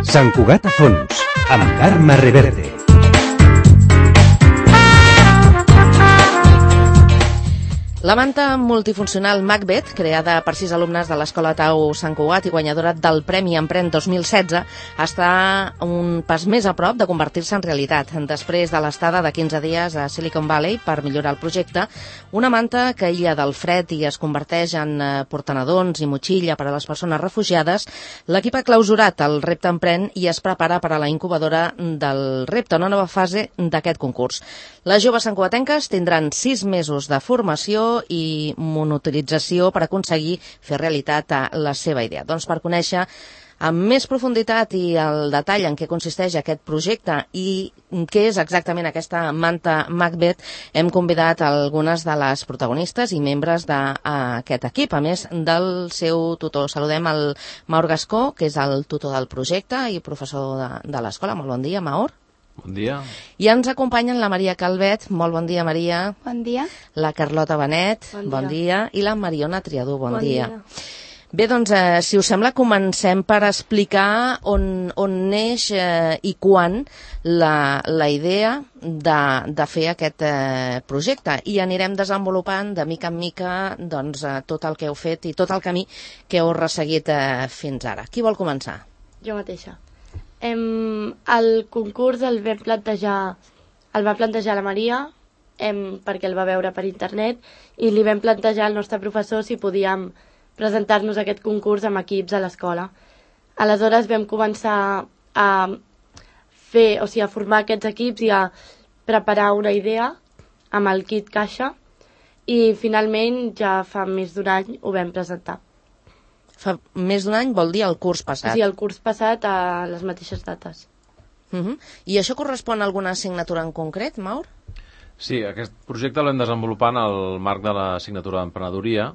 Sant Cugat a fons, amb Carme Reverte. La manta multifuncional Macbeth, creada per 6 alumnes de l'Escola Tau Sant Cugat i guanyadora del Premi Emprèn 2016, està un pas més a prop de convertir-se en realitat. Després de l'estada de 15 dies a Silicon Valley per millorar el projecte, una manta que aïlla del fred i es converteix en portanadons i motxilla per a les persones refugiades, l'equip ha clausurat el repte Emprèn i es prepara per a la incubadora del repte, una nova fase d'aquest concurs. Les joves santcugatenques tindran 6 mesos de formació i monitorització per aconseguir fer realitat la seva idea. Doncs per conèixer amb més profunditat i el detall en què consisteix aquest projecte i què és exactament aquesta manta Macbeth, hem convidat algunes de les protagonistes i membres d'aquest equip, a més del seu tutor. Saludem el Maur Gascó, que és el tutor del projecte i professor de l'escola. Molt bon dia, Maur. Bon dia. I ens acompanyen la Maria Calvet. Molt bon dia, Maria. Bon dia. La Carlota Benet. Bon dia. I la Mariona Triadú. Bon dia. Bé, doncs, si us sembla, comencem per explicar on neix i quan la idea de fer aquest projecte. I anirem desenvolupant de mica en mica doncs, tot el que heu fet i tot el camí que heu resseguit fins ara. Qui vol començar? Jo mateixa. El concurs el va plantejar la Maria perquè el va veure per internet i li vam plantejar al nostre professor si podíem presentar-nos aquest concurs amb equips a l'escola. Aleshores vam començar a formar aquests equips i a preparar una idea amb el kit caixa i finalment ja fa més d'un any ho vam presentar. Fa més d'un any vol dir el curs passat? Sí, el curs passat a les mateixes dates. I això correspon a alguna assignatura en concret, Maur? Sí, aquest projecte l'hem desenvolupant al marc de l'assignatura d'emprenedoria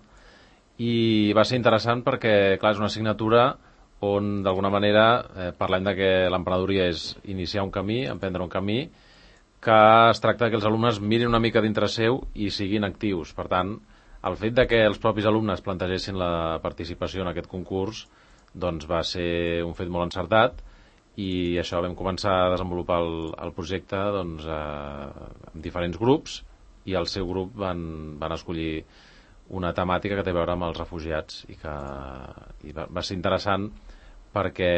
i va ser interessant perquè, clar, és una assignatura on d'alguna manera parlem de que l'emprenedoria és iniciar un camí, emprendre un camí, que es tracta que els alumnes mirin una mica dintre seu i siguin actius. Per tant, el fet de que els propis alumnes plantegessin la participació en aquest concurs doncs va ser un fet molt encertat i això vam començar a desenvolupar el projecte doncs, en diferents grups i el seu grup van escollir una temàtica que té a veure amb els refugiats i va ser interessant perquè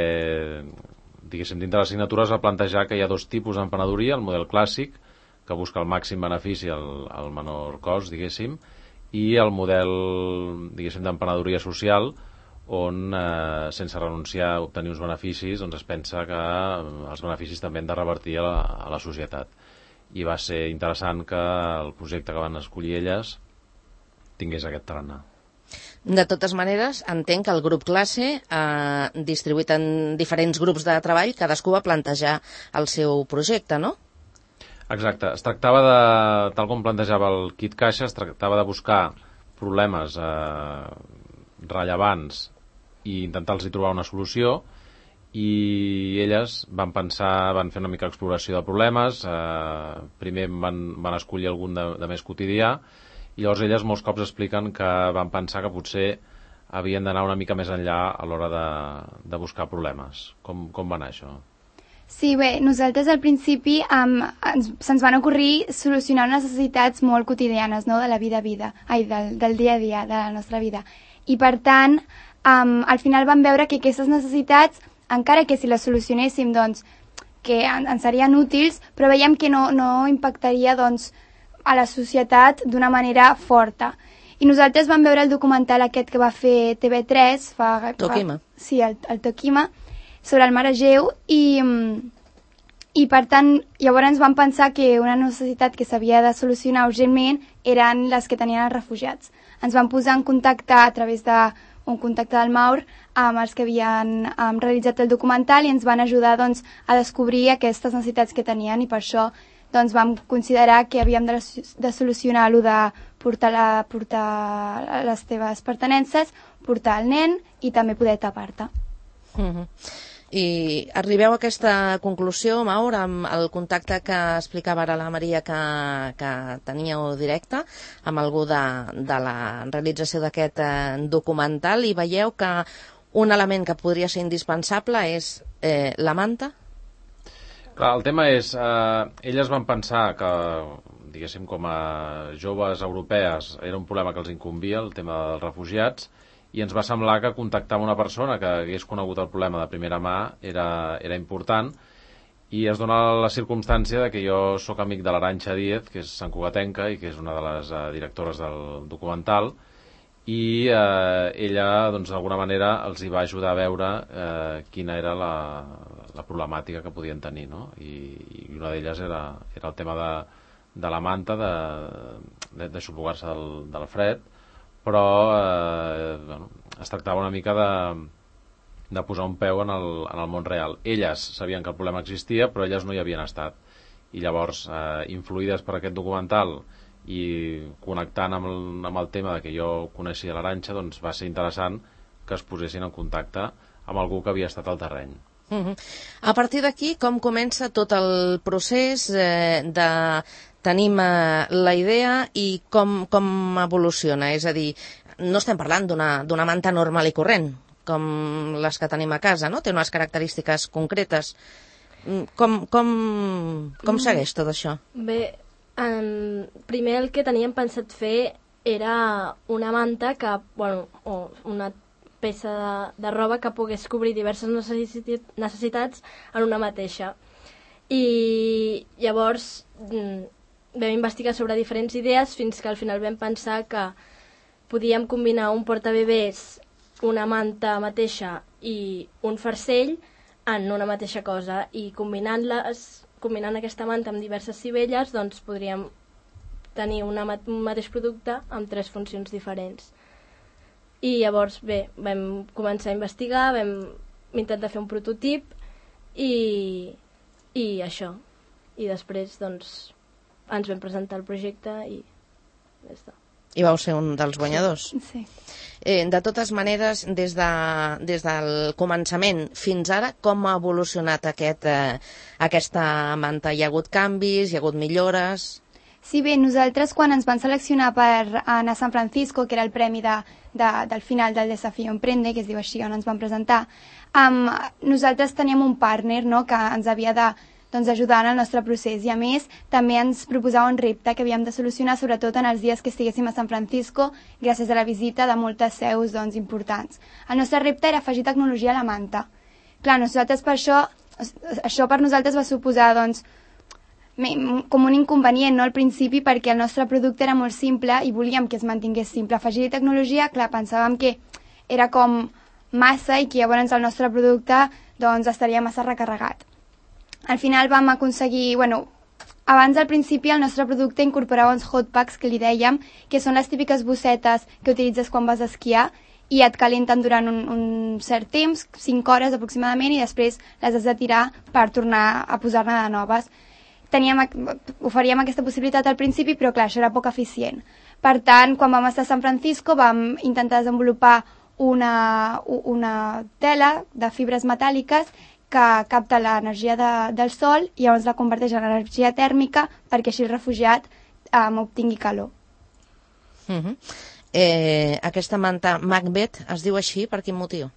diguéssim, dintre de l'assignatura es va plantejar que hi ha dos tipus d'emprenedoria, el model clàssic que busca el màxim benefici al menor cost, diguéssim, i el model, diguéssim, d'emprenedoria social on, sense renunciar a obtenir uns beneficis, doncs es pensa que els beneficis també han de revertir a la societat. I va ser interessant que el projecte que van escollir elles tingués aquest tarannà. De totes maneres, entenc que el grup classe distribuït en diferents grups de treball, cadascú va plantejar el seu projecte, no? Exacte, es tractava tal com plantejava el kit caixa, es tractava de buscar problemes rellevants i intentar-los trobar una solució i elles van fer una mica exploració de problemes, primer van escollir algun de més quotidià i llavors elles molts cops expliquen que van pensar que potser havien d'anar una mica més enllà a l'hora de buscar problemes. Com va anar això? Sí, bé, nosaltres al principi se'ns van ocorrir solucionar necessitats molt quotidianes, no?, de la vida, del dia a dia, de la nostra vida. I per tant, al final vam veure que aquestes necessitats, encara que si les solucionéssim, doncs, que ens serien útils, però veiem que no impactaria, doncs, a la societat d'una manera forta. I nosaltres vam veure el documental aquest que va fer TV3 Tokima. Sí, el Tokima, sobre el mar Egeu i per tant llavors vam pensar que una necessitat que s'havia de solucionar urgentment eren les que tenien els refugiats. Ens vam posar en contacte a través d'un contacte del Maur amb els que havien realitzat el documental i ens van ajudar doncs, a descobrir aquestes necessitats que tenien i per això doncs, vam considerar que havíem de solucionar-lo de portar les teves pertinences, portar el nen i també poder tapar-te. I arribeu a aquesta conclusió, Maur, amb el contacte que explicava ara la Maria que teníeu directe amb algú de la realització d'aquest documental, i veieu que un element que podria ser indispensable és la manta? Clar, el tema és, elles van pensar que, diguéssim, com a joves europees era un problema que els incumbia, el tema dels refugiats, i ens va semblar que contactar amb una persona que hagués conegut el problema de primera mà era important, i es dona la circumstància de que jo sóc amic de l'Arantxa Díez, que és santcugatenca i que és una de les directores del documental, i ella, doncs, d'alguna manera els hi va ajudar a veure quina era la problemàtica que podien tenir, no? I una d'elles era el tema de la manta, de xuplugar-se del fred, però bueno, es tractava una mica de posar un peu en el món real. Elles sabien que el problema existia, però elles no hi havien estat, i llavors, influïdes per aquest documental i connectant amb el tema de que jo coneixia l'Arantxa, doncs va ser interessant que es posessin en contacte amb algú que havia estat al terreny. A partir d'aquí, com comença tot el procés tenim la idea i com evoluciona? És a dir, no estem parlant d'una manta normal i corrent, com les que tenim a casa, no? Té unes característiques concretes. Com segueix tot això? Bé, primer el que teníem pensat fer era una manta o una peça de roba que pogués cobrir diverses necessitats en una mateixa. I llavors vam investigar sobre diferents idees fins que al final vam pensar que podíem combinar un portabebès, una manta mateixa i un farcell en una mateixa cosa, i combinant aquesta manta amb diverses sivelles, doncs podríem tenir un mateix producte amb 3 funcions diferents. I llavors, bé, vam començar a investigar, vam intentar fer un prototip i això. I després, doncs, ens vam presentar el projecte i ja està. I vau ser un dels guanyadors. Sí. De totes maneres, des del començament fins ara, com ha evolucionat aquesta manta? Hi ha hagut canvis, hi ha hagut millores? Sí, bé, nosaltres quan ens van seleccionar per anar a San Francisco, que era el premi del final del Desafío Emprende, que es diu així, on ens van presentar, nosaltres teníem un partner, no?, que ens havia d'ajudar en el nostre procés, i a més també ens proposava un repte que havíem de solucionar, sobretot en els dies que estiguéssim a San Francisco, gràcies a la visita de moltes seus importants. El nostre repte era afegir tecnologia a la manta. Clar, nosaltres per això per nosaltres va suposar com un inconvenient, no, al principi, perquè el nostre producte era molt simple i volíem que es mantingués simple. Afegir tecnologia, clar, pensàvem que era com massa i que llavors el nostre producte estaria massa recarregat. Al final vam aconseguir, abans al principi el nostre producte incorporava uns hot packs que li dèiem, que són les típiques bossetes que utilitzes quan vas a esquiar i et calenten durant un cert temps, 5 hores aproximadament, i després les has de tirar per tornar a posar-ne de noves. Oferíem aquesta possibilitat al principi, però clar, això era poc eficient. Per tant, quan vam estar a San Francisco vam intentar desenvolupar una tela de fibres metàl·liques que capta l'energia del sol i llavors la converteix en energia tèrmica perquè així el refugiat obtingui calor. Aquesta manta Macbeth es diu així per quin motiu?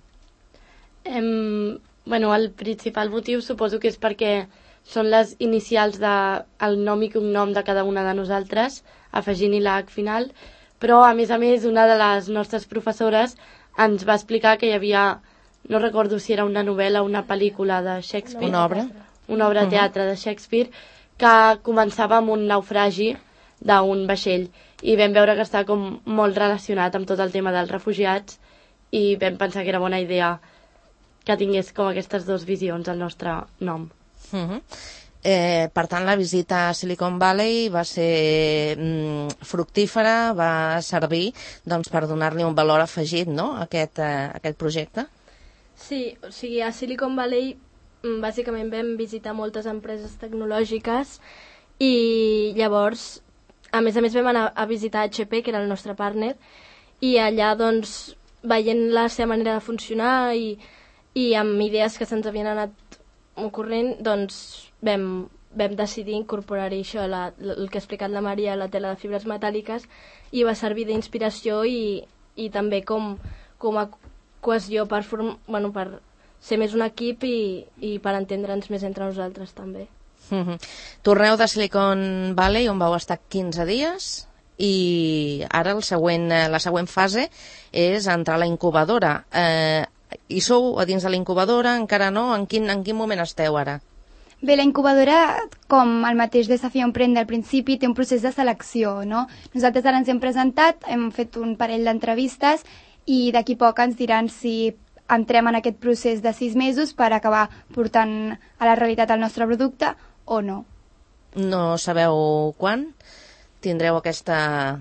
El principal motiu suposo que és perquè són les inicials del nom i cognom de cada una de nosaltres, afegint-hi la H final, però a més, una de les nostres professores ens va explicar que hi havia, no recordo si era una novel·la o una pel·lícula de Shakespeare. Una obra? Una obra de teatre de Shakespeare, que començava amb un naufragi d'un vaixell, i vam veure que estava com molt relacionat amb tot el tema dels refugiats, i vam pensar que era bona idea que tingués com aquestes 2 visions al nostre nom. Per tant, la visita a Silicon Valley va ser fructífera, va servir per donar-li un valor afegit, no?, a aquest projecte? Sí, o sigui, a Silicon Valley bàsicament vam visitar moltes empreses tecnològiques i llavors, a més vam anar a visitar HP, que era el nostre partner, i allà, veient la seva manera de funcionar i i amb idees que se'ns havien anat ocorrent, doncs vam decidir incorporar-hi això, el que ha explicat la Maria, la tela de fibres metàl·liques, i va servir d'inspiració i també com a cohesió per ser més un equip i per entendre'ns més entre nosaltres també. Torneu de Silicon Valley, on vau estar 15 dies, i ara la següent fase és entrar a la incubadora. Hi sou a dins de la incubadora? Encara no? En quin moment esteu ara? Bé, la incubadora, com el mateix Desafío Emprende al principi, té un procés de selecció, no? Nosaltres ara ens hem presentat, hem fet un parell d'entrevistes i d'aquí poc ens diran si entrem en aquest procés de 6 mesos per acabar portant a la realitat el nostre producte o no. No sabeu quan tindreu aquesta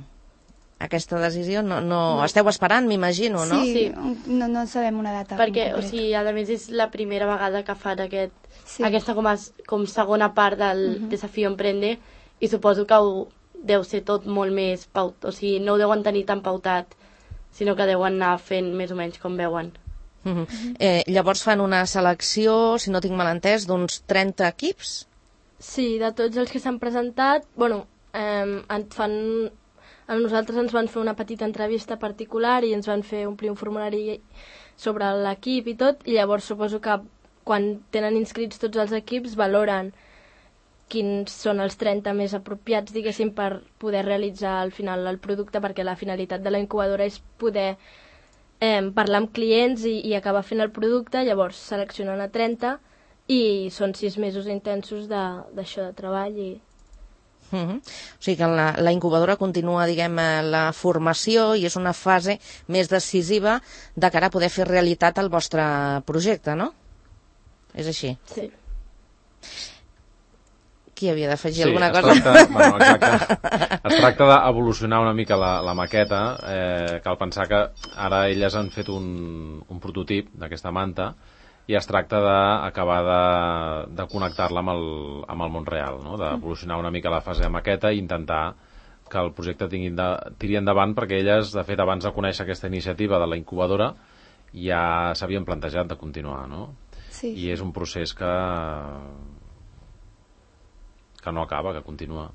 decisió? No. Esteu esperant, m'imagino, no? Sí. No sabem una data. Perquè, a més, és la primera vegada que fan aquesta com segona part del Desafío Emprende, i suposo que deu ser tot molt més pautat, no ho deuen tenir tan pautat, sinó que deuen anar fent més o menys com veuen. Llavors fan una selecció, si no tinc mal entès, d'uns 30 equips? Sí, de tots els que s'han presentat, a nosaltres ens van fer una petita entrevista particular i ens van fer omplir un formulari sobre l'equip i tot, i llavors suposo que quan tenen inscrits tots els equips valoren quins són els 30 més apropiats, diguéssim, per poder realitzar al final el producte, perquè la finalitat de la incubadora és poder parlar amb clients i acabar fent el producte. Llavors seleccionen a 30 i són 6 mesos intensos d'això de treball. O sigui que la incubadora continua, diguem, la formació, i és una fase més decisiva de cara a poder fer realitat el vostre projecte, no? És així? Sí. Qui havia d'afegir alguna cosa? Es tracta d'evolucionar una mica la maqueta. Cal pensar que ara elles han fet un prototip d'aquesta manta i es tracta d'acabar de connectar-la amb el món real, no? D'evolucionar una mica la fase de maqueta i intentar que el projecte tiri endavant, perquè elles, de fet, abans de conèixer aquesta iniciativa de la incubadora, ja s'havien plantejat de continuar, no? Sí. I és un procés que no acaba, que continua.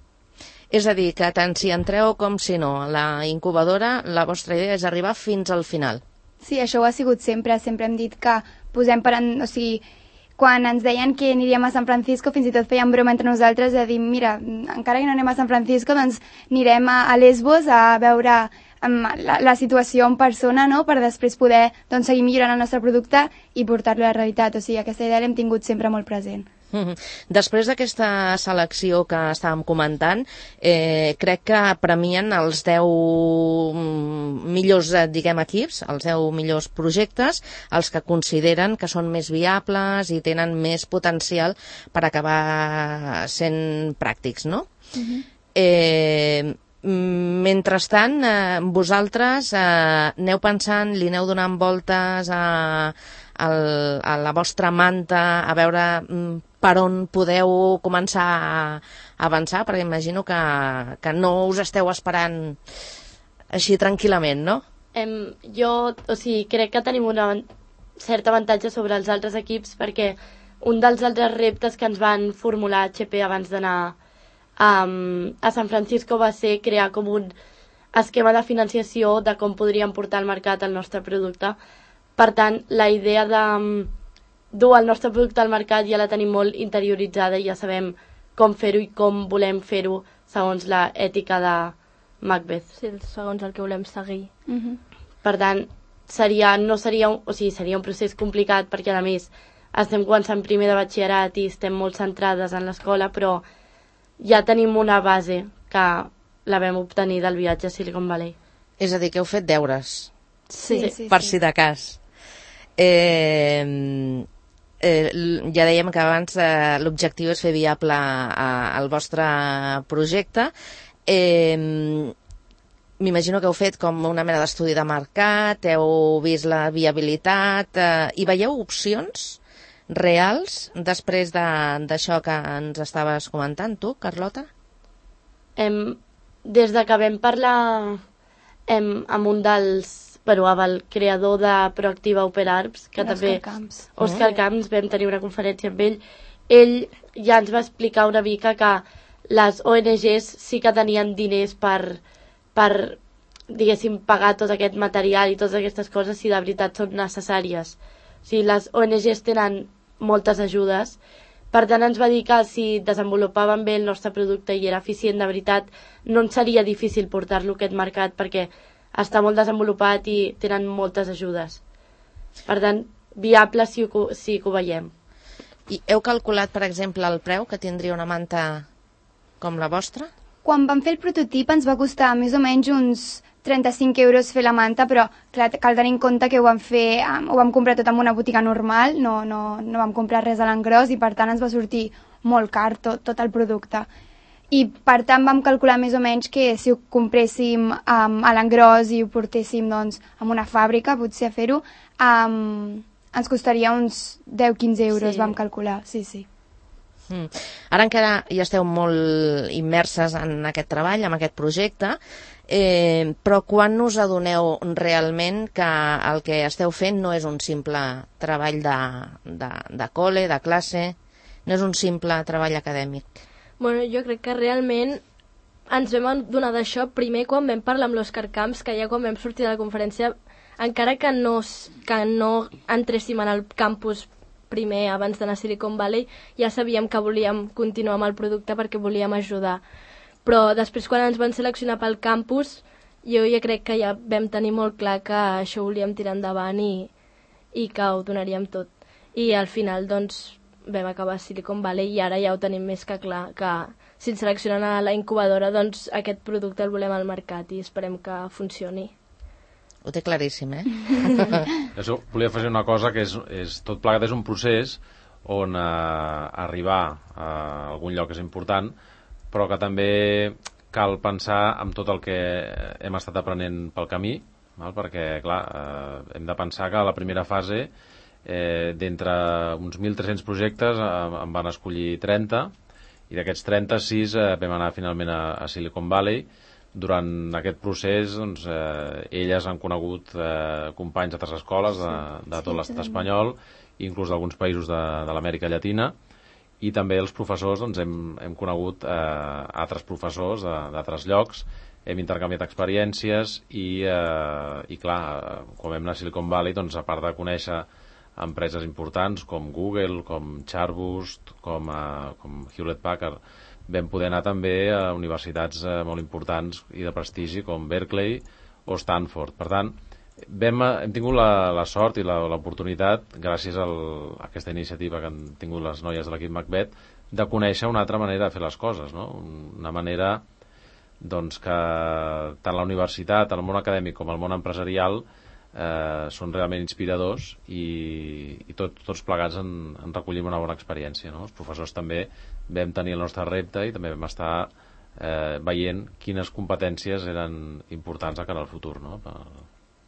És a dir, que tant si entreu com si no, la incubadora, la vostra idea és arribar fins al final. Sí, això ho ha sigut sempre. Sempre hem dit que posem quan ens deien que aniríem a San Francisco, fins i tot feien broma entre nosaltres de dir, mira, encara que no anem a San Francisco, doncs anirem a Lesbos a veure la situació en persona, no?, per després poder seguir millorant el nostre producte i portar-lo a la realitat. O sigui, aquesta idea l'hem tingut sempre molt present. Després d'aquesta selecció que estàvem comentant, crec que premien els 10 millors, equips, els 10 millors projectes, els que consideren que són més viables i tenen més potencial per acabar sent pràctics, no? Mentrestant, vosaltres aneu pensant, li aneu donant voltes a la vostra manta, a veure per on podeu començar a avançar, perquè imagino que no us esteu esperant així tranquil·lament, no? Crec que tenim un cert avantatge sobre els altres equips, perquè un dels altres reptes que ens van formular a HP abans d'anar a San Francisco va ser crear com un esquema de financiació de com podríem portar al mercat el nostre producte. Per tant, la idea de dur el nostre producte al mercat ja la tenim molt interioritzada i ja sabem com fer-ho i com volem fer-ho segons la ètica de Macbeth. Sí, segons el que volem seguir. Per tant, seria un procés complicat, perquè a més estem començant primer de batxillerat i estem molt centrades en l'escola, però ja tenim una base que la vam obtenir del viatge a Silicon Valley. És a dir, que heu fet deures. Sí. Per si de cas. Ja dèiem que abans l'objectiu és fer viable el vostre projecte. M'imagino que heu fet com una mena d'estudi de mercat, heu vist la viabilitat, i veieu opcions reals després d'això que ens estaves comentant tu, Carlota? Des de que vam parlar amb un dels bueno, amb el creador de Proactiva Open Arms, que també... Òscar Camps, vam tenir una conferència amb ell. Ell ja ens va explicar una mica que les ONGs sí que tenien diners per diguéssim, pagar tot aquest material i totes aquestes coses si de veritat són necessàries. O sigui, les ONGs tenen moltes ajudes. Per tant, ens va dir que si desenvolupàvem bé el nostre producte i era eficient de veritat, no ens seria difícil portar-lo a aquest mercat perquè està molt desenvolupat i tenen moltes ajudes. Per tant, viable sí que ho veiem. I heu calculat, per exemple, el preu que tindria una manta com la vostra? Quan vam fer el prototip ens va costar més o menys uns 35 euros fer la manta, però clar, cal tenir en compte que ho vam comprar tot en una botiga normal, no vam comprar res a l'engròs i per tant ens va sortir molt car tot el producte. I per tant vam calcular més o menys que si ho compréssim a l'engròs i ho portéssim doncs, a una fàbrica, potser a fer-ho, ens costaria uns 10-15 euros, vam calcular, sí. Ara encara hi esteu molt immerses en aquest treball, en aquest projecte, però quan us adoneu realment que el que esteu fent no és un simple treball de col·le, de classe, no és un simple treball acadèmic? Bueno, jo crec que realment ens vam adonar d'això primer quan vam parlar amb l'Òscar Camps, que ja quan vam sortir de la conferència, encara que no entréssim en el campus primer abans d'anar a Silicon Valley, ja sabíem que volíem continuar amb el producte perquè volíem ajudar. Però després quan ens van seleccionar pel campus, jo ja crec que ja vam tenir molt clar que això ho volíem tirar endavant i que ho donaríem tot. I al final doncs vam acabar a Silicon Valley i ara ja ho tenim més que clar, que si ens seleccionen a la incubadora doncs aquest producte el volem al mercat i esperem que funcioni. Ho té claríssim, Això, volia afegir una cosa que és tot plegat és un procés on arribar a algun lloc és important, però que també cal pensar en tot el que hem estat aprenent pel camí, perquè, clar, hem de pensar que a la primera fase, d'entre uns 1.300 projectes, en van escollir 30, i d'aquests 36 vam anar finalment a Silicon Valley. Durant aquest procés, doncs, elles han conegut companys d'altres escoles de tot l'estat espanyol, inclús d'alguns països de l'Amèrica Llatina, i també els professors, doncs, hem conegut altres professors d'altres llocs, hem intercanviat experiències i clar, quan vam anar a Silicon Valley, doncs, a part de conèixer empreses importants com Google, com Charboost, com Hewlett Packard, vam poder anar també a universitats molt importants i de prestigi com Berkeley o Stanford. Per tant, hem tingut la sort i l'oportunitat, gràcies a aquesta iniciativa que han tingut les noies de l'equip Macbeth, de conèixer una altra manera de fer les coses, no? Una manera doncs, que tant la universitat, el món acadèmic com el món empresarial són realment inspiradors i tots plegats en recollim una bona experiència, no? Els professors també vam tenir el nostre repte i també vam estar veient quines competències eren importants de cara al futur, no?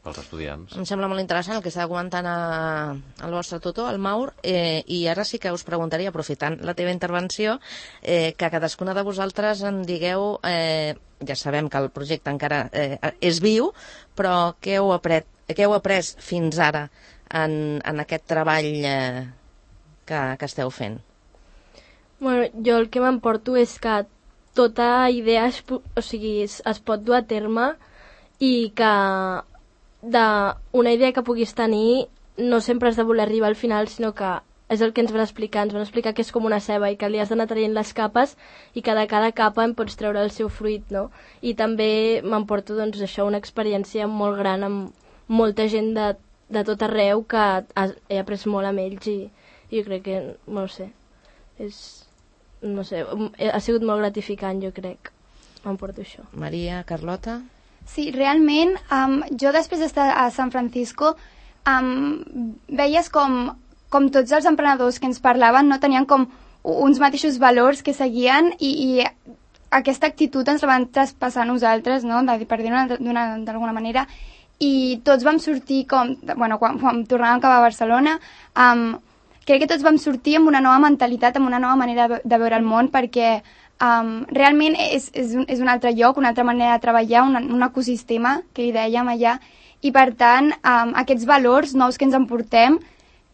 Pels estudiants. Em sembla molt interessant el que està comentant el vostre tutor, el Maur, i ara sí que us preguntaria, aprofitant la teva intervenció, que cadascuna de vosaltres em digueu, ja sabem que el projecte encara és viu, però què heu après fins ara en aquest treball que esteu fent? Bueno, jo el que m'emporto és que tota idea es pot dur a terme i que d'una idea que puguis tenir no sempre has de voler arribar al final, sinó que és el que ens van explicar que és com una ceba i que li has d'anar traient les capes i que de cada capa en pots treure el seu fruit, no? I també m'emporto doncs això, una experiència molt gran amb molta gent de tot arreu que he après molt amb ells i jo crec que, no sé, ha sigut molt gratificant, jo crec. M'emporto això. Maria, Carlota? Sí, realment, jo després d'estar a San Francisco veies com tots els emprenedors que ens parlaven no tenien com uns mateixos valors que seguien i aquesta actitud ens la van traspassar a nosaltres, no? Per dir-ho d'alguna manera, i tots vam sortir quan tornàvem cap a Barcelona, crec que tots vam sortir amb una nova mentalitat, amb una nova manera de veure el món, perquè Realment és un altre lloc, una altra manera de treballar, un ecosistema que hi dèiem allà, i per tant aquests valors nous que ens emportem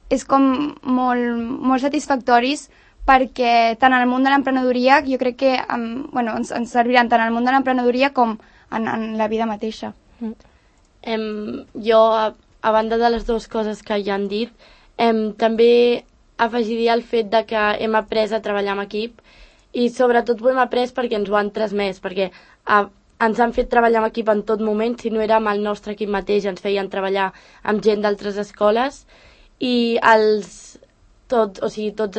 és com molt satisfactoris, perquè tant en el món de l'emprenedoria jo crec que ens serviran tant en el món de l'emprenedoria com en la vida mateixa. Jo, a banda de les dues coses que ja han dit, també afegiria el fet de que hem après a treballar en equip, i sobretot ho hem après perquè ens ho han transmès, perquè ens han fet treballar en equip en tot moment. Si no era amb el nostre equip mateix, ens feien treballar amb gent d'altres escoles, i tots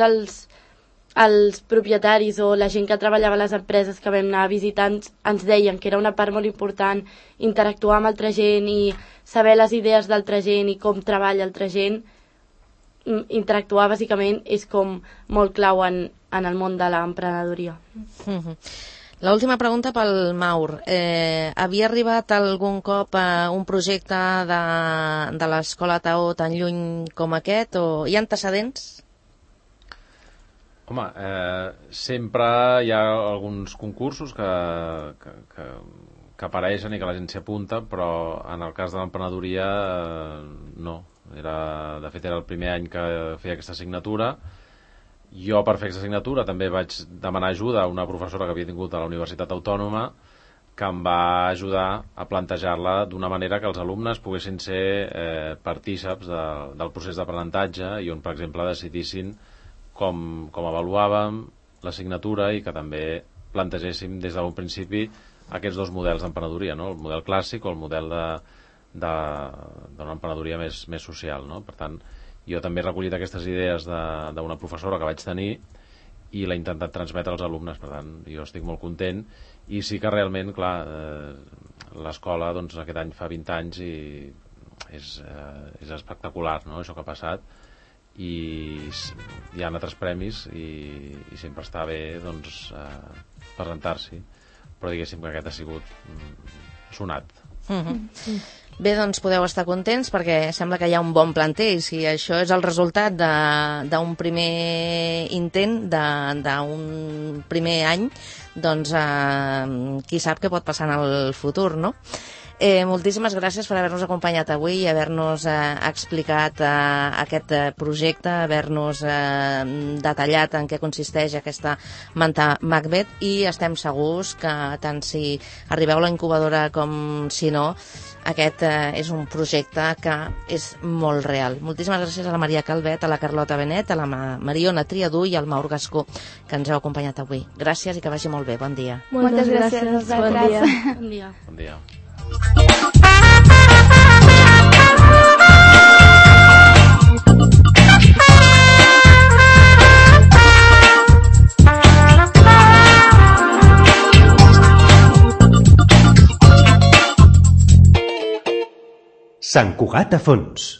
els propietaris o la gent que treballava a les empreses que vam anar visitant ens deien que era una part molt important interactuar amb altra gent i saber les idees d'altra gent i com treballa altra gent. Interactuar bàsicament és com molt clau en el món de l'emprenedoria. L'última pregunta pel Maur. Havia arribat algun cop un projecte de l'Escola TAO tan lluny com aquest, o hi ha antecedents? Home, sempre hi ha alguns concursos que apareixen i que la gent s'hi apunta, però en el cas de l'emprenedoria no. De fet, era el primer any que feia aquesta assignatura. Jo, per fer aquesta assignatura, també vaig demanar ajuda a una professora que havia tingut a la Universitat Autònoma, que em va ajudar a plantejar-la d'una manera que els alumnes poguessin ser partíceps del procés d'aprenentatge, i on, per exemple, decidissin com avaluàvem l'assignatura i que també plantegéssim des d'un principi aquests dos models d'emprenedoria, no? El model clàssic o el model d'una emprenedoria més social, no? Per tant, jo també he recollit aquestes idees d'una professora que vaig tenir i l'he intentat transmetre als alumnes. Per tant, jo estic molt content, i sí que realment, clar, l'escola aquest any fa 20 anys i és espectacular, no?, això que ha passat, i hi ha altres premis i sempre està bé presentar-s'hi, però diguéssim que aquest ha sigut sonat. Bé, doncs podeu estar contents perquè sembla que hi ha un bon planter, i si això és el resultat d'un primer intent, d'un primer any, doncs qui sap què pot passar en el futur, no? Moltíssimes gràcies per haver-nos acompanyat avui i haver-nos explicat aquest projecte, haver-nos detallat en què consisteix aquesta manta Macbeth, i estem segurs que tant si arribeu a la incubadora com si no, aquest és un projecte que és molt real. Moltíssimes gràcies a la Maria Calvet, a la Carlota Benet, a la Mariona Triadú i al Maur Gascó, que ens heu acompanyat avui. Gràcies i que vagi molt bé. Bon dia. Moltes gràcies a vosaltres. Bon dia. Bon dia. Sant Cugat a fons.